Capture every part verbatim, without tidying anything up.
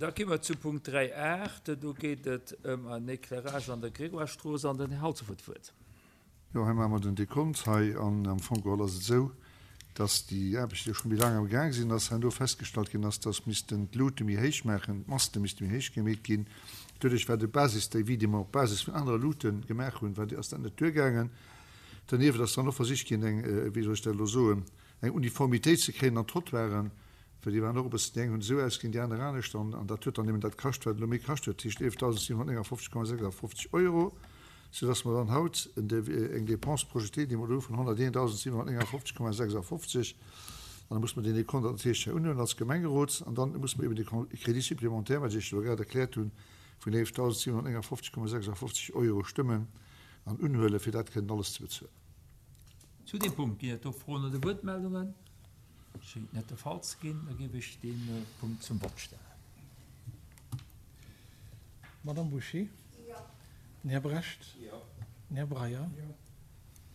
Da gi mer zu Punkt dräi aacht. Do geet et ëm en Éclairage an der Grégoire-Strooss an den Här Halsdorf huet d'Wuert. Jo, hei maache mer den Dekont hei an am Fong geholl ass et esou, dass déi Aarbechte jo scho méi laang am Gaang sinn, dass herno festgestallt ginn ass, dass missten d'Luute méi héich maachen, d'Maste misste méi héich gemeet ginn. Doduerch war de Basisdevis, dee mer op Basis vun anere Luute gemaach hunn, war, ass dat net duergaangen. Dernieft ass dann och versicht ginn, eng, wéi soll ech dat elo soen, eng Uniformitéit ze kréien an d'Trottoiren, well déi waren och e bëssen, déi eng hunn esou ausgesinn, déi aner anescht, an, an dat huet dann eben dat kascht, wat elo méi kascht huet, dat heescht eelefdausendsiwenhunnertnéngafofzeg Komma sechsafofzeg Euro, soudass mer dann haut en eng Dépense projetée, déi mer elo hu vun honnerteentausendsiwenhunnertnéngafofzeg Komma sechsafofzeg, an da muss mer deen Dekont natierlech hei unhuelen als Gemengerot, an dann muss mer eben de Crédit supplémentaire, wat ech Iech elo grad erkläert hunn, vun eelefdausendsiwenhunnertnéngafofzeg Komma sechsafofzeg Euro stëmmen an unhuelen, fir dat kënnen alles ze bezuelen. Zu deem Punkt ginn et do Froen oder Wuertmeldungen? Schéngt net de Fall ze ginn. Da géif ech dee Punkt zum Vott stellen. D'Madame Bouché? Jo. Den Här Brecht? Jo. Den Här Breyer? Jo.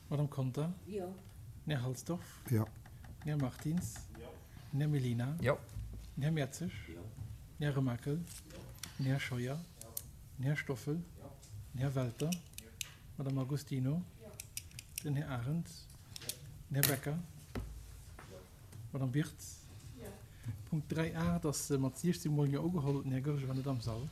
D'Madame Conter? Jo. Den Här Halsdorf? Jo. Den Här Martins? Jo. Den Här Mellina? Jo. Den Här Mertzig? Jo. Den Här Remakel? Jo. Den Här Scheuer? Jo. Den Här Stoffel? Jo. Den Här Welter? Jo. D'Madame Agostino? Jo. Den Här Arendt? Jo. Den Här Becker? Jo. D'Madame Wirtz? Jo. Punkt dräi a, et ass mat siechzehn Mol Jo ugeholl. Den Här Goergen war net am Sall.